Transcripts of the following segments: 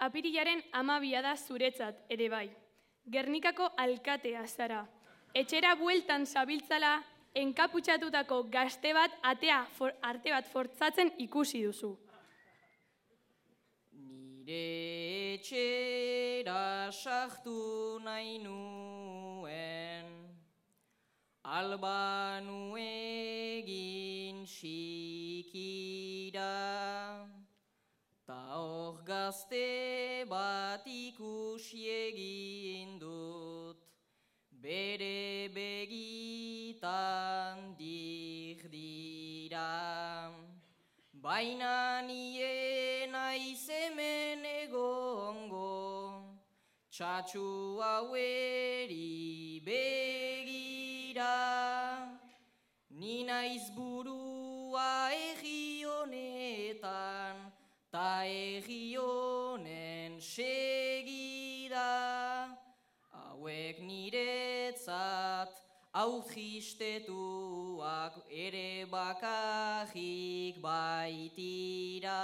Apirilaren 12 da zuretzat ere bai. Gernikako alkatea zara. Etxera bueltan zabiltzala, enkaputxatutako gazte bat arte bat fortzatzen ikusi duzu. Nire etxera sartu nahi nuen, albanu egin txikira, ta hor gazte bat ikusi egin dut, bere begitan dira. Baina nien aiz hemen egongo, txatxu haueri begira. Ni naiz burua egi honetan, ta egi honen segida. Hauek niretzat aurtristetuak ere bakarrik baitira.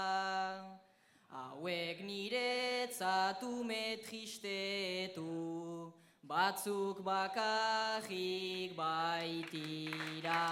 Hauek niretzat ume tristetu, batzuk bakarrik baitira.